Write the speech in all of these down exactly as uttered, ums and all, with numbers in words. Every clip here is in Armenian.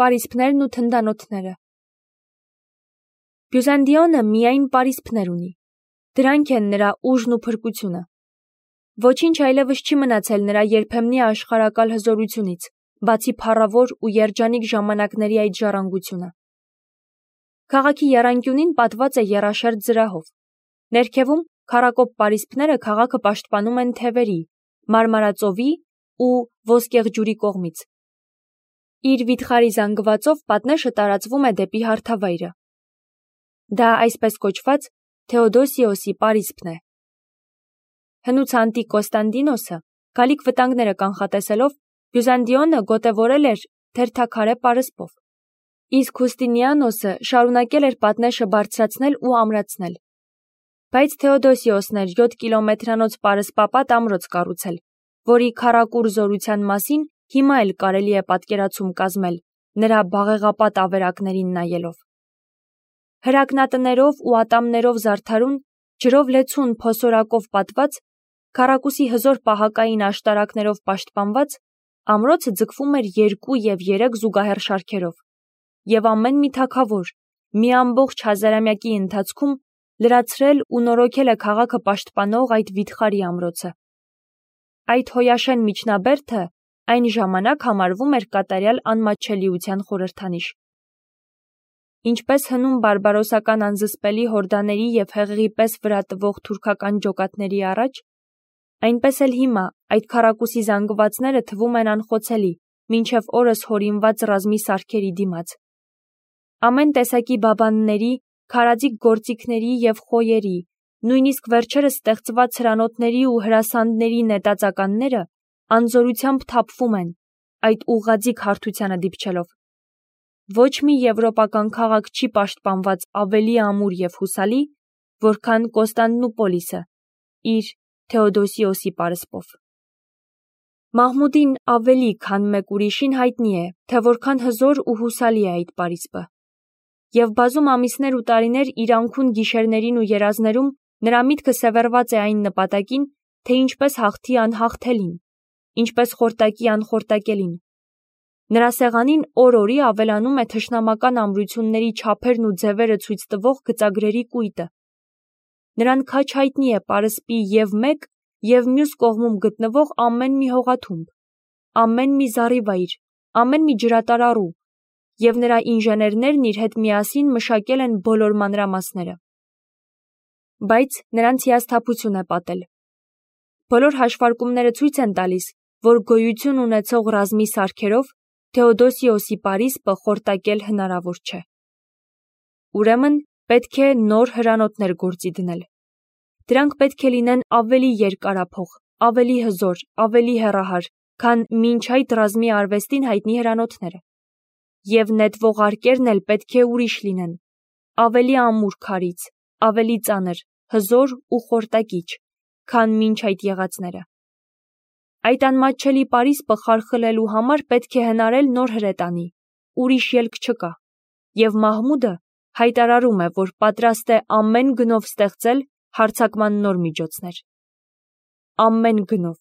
պարիսպներն ու թնդանոթները։ Բյուզանդիոնը միայն պարիսպներ ունի, դրանք են նրա ուժն ու փրկությունը։ Ոչինչ այլևս չի մնացել նրա երբեմնի աշխարհակալ հզորությունից, բացի փառավոր ու երջանիկ ժամանակների այդ ժառանգությունը։ Քաղաքի եռանկյունին պատված է եռաշերտ զրահով։ Ներքևում քառակոպ պարիսպները քաղաքը պաշտպանում են թևերի, մարմարածովի ու ոսկեղջյուրի կողմից։ Իր վիթխարի զանգվածով պատնեշը տարածվում է դեպի հարթավայրը։ Դա այսպես կոչված Թեոդոսիոսի պարիսպն է։ Հնուց անտիկ Կոստանդինոսը, գալիք վտանգները կանխատեսելով, Բյուզանդիոնը գոտևորել էր թերթաքարե պարսպով, իսկ Հուստինիանոսը շարունակել էր պատնեշը բարձրացնել ու ամրացնել։ Բայց Թեոդոսիոսն էր յոթ կիլոմետրանոց պարսպապատ ամրոց կառուցել, որի քառակուռ զորության մասին հիմա էլ կարելի է պատկերացում կազմել, նրա բաղեղապատ ավերակներին նայելով։ Հրակնատներով ու ատամներով զարդարուն, ջրով լեցուն փոսորակով պատված, քառակուսի հզոր պահակային աշտարակներով պաշտպանված, ամրոցը ձգվում էր երկու և երեք զուգահեռ շարքերով, և ամեն մի թագավոր մի ամբողջ հազարամյակի ընթացքում լրացրել ու նորոգել է քաղաքը պաշտպանող այդ վիթխարի ամրոցը։ Այդ հոյաշեն միջնաբերդը այն ժամանակ համարվում էր կատարյալ անմատչելիության խորհրդանիշ։ Ինչպես հնում բարբարոսական անզսպելի հորդաների և հեղեղի պես վրա տվող թուրքական ջոկատների առաջ, այնպես էլ հիմա այդ քառակուսի զանգվածները թվում են անխոցելի, մինչև օրս հորինված ռազմի սարքերի դիմաց։ Ամեն տեսակի բաբանների, քարաձիգ գործիքների և խոյերի, նույնիսկ վերջերս ստեղծված հրանոթների ու հրասանդների նետածականները անզորությամբ թափվում են, այդ ուղղաձիգ հարթությանը դիպչելով։ Ոչ մի եվրոպական քաղաք չի պաշտպանված ավելի ամուր և հուսալի, որքան Կոստանդնուպոլիսը իր Թեոդոսիոսի պարսպով։ Մահմուդին ավելի, քան մեկ ուրիշին հայտնի է, թե որքան հզոր ու հուսալի է այդ պարիսպը։ Եվ բազում ամիսներ ու տարիներ իր անքուն գիշերներին ու երազներում նրա միտքը սևեռված է այն նպատակին, թե ինչպես հաղթի անհաղթելին, ինչպես խորտակի անխորտակելին։ Նրա սեղանին օր-օրի ավելանում է թշնամական ամրությունների չափերն ու ձևերը ցույց տվող գծագրերի կույտը։ Նրան քաջ հայտնի է պարսպի և մեկ, և մյուս կողմում գտնվող ամեն մի հողաթումբ, ամեն մի զառիվայր, ամեն մի ջրատարառու, և նրա ինժեներներն իր հետ միասին մշակել են բոլոր մանրամասները։ Բայց նրանց հիասթափություն է պատել։ Բոլոր հաշվարկումները ցույց են տալիս, որ գոյություն ունեցող ռազմի սարքերով Թեոդոսիոսի պարիսպը խորտակել հնարավոր չէ։ Ուրեմն պետք է նոր հրանոթներ գործի դնել։ Դրանք պետք է լինեն ավելի երկարափող, ավելի հզոր, ավելի հեռահար, քան մինչ այդ ռազմի արվեստին հայտնի հրանոթները։ Եվ նետվողարկերն էլ պետք է ուրիշ լինեն, ավելի ամուր քարից, ավելի ծանր, հզոր ու խորտակիչ, քան մինչ այդ եղածները։ Այդ անմատչելի պարիսպը խարխլելու համար պետք է հնարել նոր հրետանի, ուրիշ ելք չկա, և Մահմուդը հայտարարում է, որ պատրաստ է ամեն գնով ստեղծել հարձակման նոր միջոցներ։ Ամեն գնով։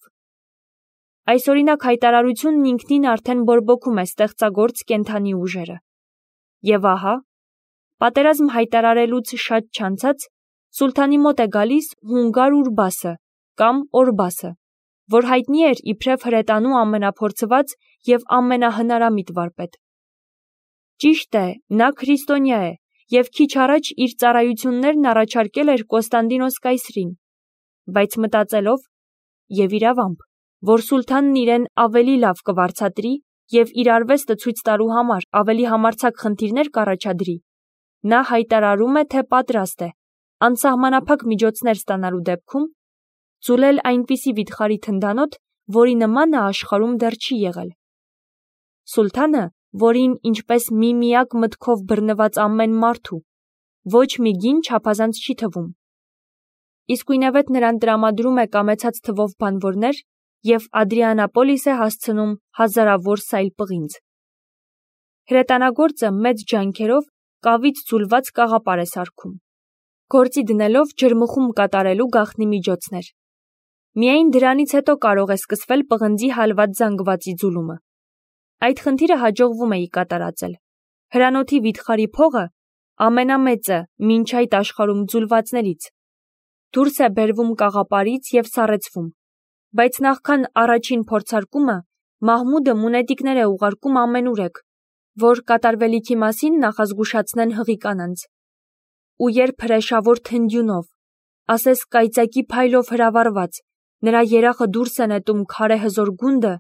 Այսօրինակ հայտարարությունն ինքնին արդեն բորբոքում է ստեղծագործ կենդանի ուժերը։ Եվ ահա, պատերազմ հայտարարելուց շատ չանցած, սուլթանի մոտ է գալիս հունգար Ուրբասը կամ Օրբասը, որ հայտնի էր իբրև հրետանու ամենափորձված և ամենահնարամիտ վարպետ։ Ճիշտ է, նա քրիստոնյա է և քիչ առաջ իր ծառայություններն առաջարկել էր Կոստանդինոս կայսրին, բայց մտածելով, և իրավամբ, որ սուլթանն իրեն ավելի լավ կվարձատրի և իր արվեստը ցույց տալու համար ավելի համարձակ խնդիրներ կառաջադրի, նա հայտարարում է, թե պատրաստ է, անսահմանափակ միջոցներ ստանալու դեպքում, ձուլել այնպիսի վիթխարի թնդանոթ, որի նմանը աշխարհում դեռ չի եղել։ Սուլթանը, որին ինչպես միմիակ մտքով բռնված ամեն մարդու, ոչ մի գին չափազանց չի թվում։ Իսկույնևեթ նրան տրամադրում է կամեցած թվով բանվորներ և Ադրիանապոլիս է հասցնում հազարավոր սայլ պղինձ։ Հրետանագործը մեծ ջանքերով կավից ձուլված կաղապար է սարքում, գործի դնելով ջրմխում կատարելու գաղտնի միջոցներ։ Միայն դրանից հետո կարող է սկսվել պղնձի հալված զանգվածի ձուլումը։ Այդ խնդիրը հաջողվում էի կատարածել։ Հրանոթի վիթխարի փողը ամենամեծը մինչ այդ աշխարհում ձուլվածներից։ Դուրս է բերվում կաղապարից և սառեցվում, բայց նախքան առաջին փորձարկումը Մահմուդը մունետիկներ է ուղարկում ամենուրեք, որ կատարվելիքի մասին նախազգուշացնեն հղի կանանց։ Ու երբ հրեշավոր թնդյունով, ասես կայծակի փայլով հրավառված, նրա երախը դուրս է նետում քարե հզոր գունդը,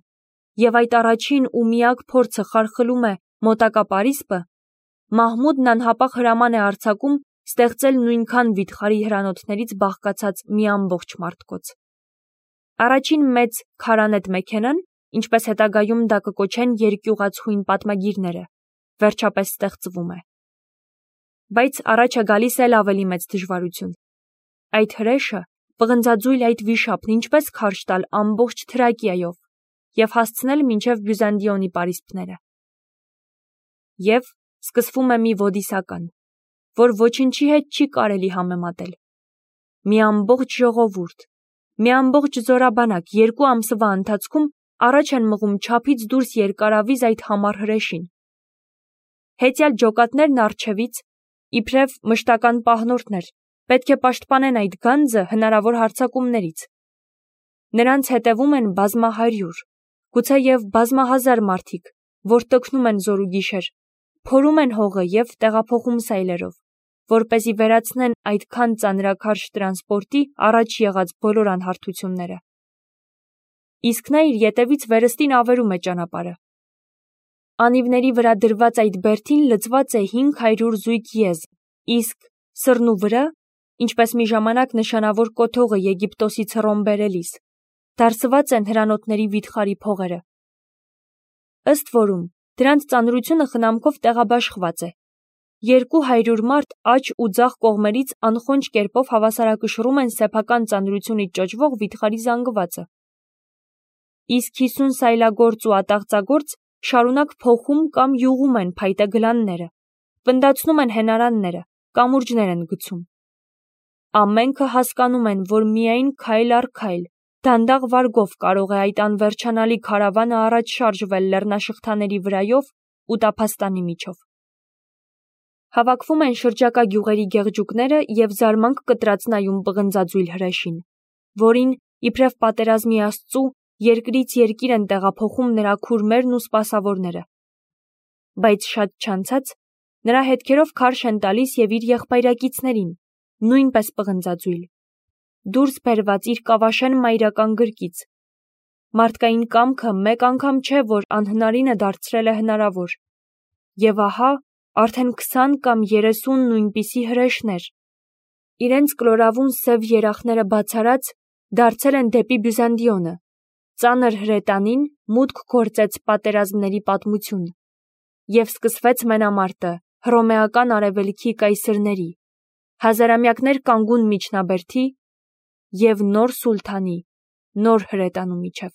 և այդ առաջին ու միակ փորձը խարխլում է մոտակա պարիսպը, Մահմուդն անհապաղ հրաման է արձակում ստեղծել նույնքան վիթխարի հրանոթներից բաղկացած մի ամբողջ մարդկոց։ Առաջին մեծ քարանետ մեքենան, ինչպես հետագայում դա կկոչեն երկյուղացույն պատմագիրները, վերջապես ստեղծվում է։ Բայց առաջ է գալիս էլ ավելի մեծ դժվարություն։ Այդ հրեշը պղնձաձույլ այդ վիշապն ինչպես քարշ տալ ամբողջ Թրակիայով և հասցնել մինչև Բյուզանդիոնի պարիսպները։ Եվ սկսվում է մի ոդիսական, որ ոչնչի հետ չի կարելի համեմատել։ Մի ամբողջ ժողովուրդ, մի ամբողջ զորաբանակ երկու ամսվա ընթացքում առաջ են մղում չափից դուրս երկարավիզ այդ համառ հրեշին։ Հեծյալ ջոկատներն առջևից, իբրև մշտական պահնորդներ, պետք է պաշտպանեն այդ գանձը հնարավոր հարձակումներից։ Նրանց հետևում են բազմահարյուր, գուցեև բազմահազար մարդիկ, որ տքնում են զոր ու գիշեր, փորում են հողը և տեղափոխում սայլերով, որպեսզի վերացնեն այդքան ծանրաքարշ տրանսպորտի առաջ եղած բոլոր անհարթությունները։ Իսկ նա իր ետևից վերստին ավերում է ճանապարհը։ Անիվների վրա դրված այդ բերդին լցված է հինգ հարյուր զույգ եզ, իսկ սռնու վրա, ինչպես մի ժամանակ նշանավոր կոթողը Եգիպտոսից Հռոմ բերելիս, դարսված են հրանոթների վիթխարի փողերը։ Ըստ որում, դրանց ծանրությունը խնամքով տեղաբաշխված է։ Երկու հարյուր մարդ աջ ու ձախ կողմերից անխոնջ կերպով հավասարակշռում են սեփական ծանրությունից ճոճվող վիթխարի զանգվածը։ Իսկ հիսուն սայլագործ ու ատաղծագործ շարունակ փոխում կամ յուղում են փայտե գլանները, պնդացնում են հենարանները, կամուրջներ են գցում։ Ամենքը հասկանում են, որ միայն քայլ առ քայլ, դանդաղ վարգով կարող է այդ անվերջանալի քարավանը առաջ շարժվել լեռնաշղթաների վրայով ու տափաստանի միջով։ Հավաքվում են շրջակա գյուղերի գեղջուկները և զարմանք կտրած նայում պղնձաձույլ հրեշին, որին, իբրև պատերազմի աստծու, երկրից երկիր են տեղափոխում նրա քուրմերն ու սպասավորները։ Բայց շատ չանցած, նրա հետքերով քարշ են տալիս և իր եղբայրակիցներին, նույնպես պղնձաձույլ, դուրս բերված իր կավաշեն մայրական գրկից։ Մարդկային կամքը մեկ անգամ չէ, որ անհնարինը դարձրել է հնարավոր։ Եվ ահա, արդեն քսան կամ երեսուն նույնպիսի հրեշներ, իրենց կլորավուն սև երախները բացարած, դարձել են դեպի Բյուզանդիոնը, ծանր հրետանին մուտք գործեց պատերազմների պատմություն, և սկսվեց մենամարտը հռոմեական արևելքի կայսրների, հազարամյակներ կանգուն միջնաբերդի և նոր սուլթանի, նոր հրետանու միջև։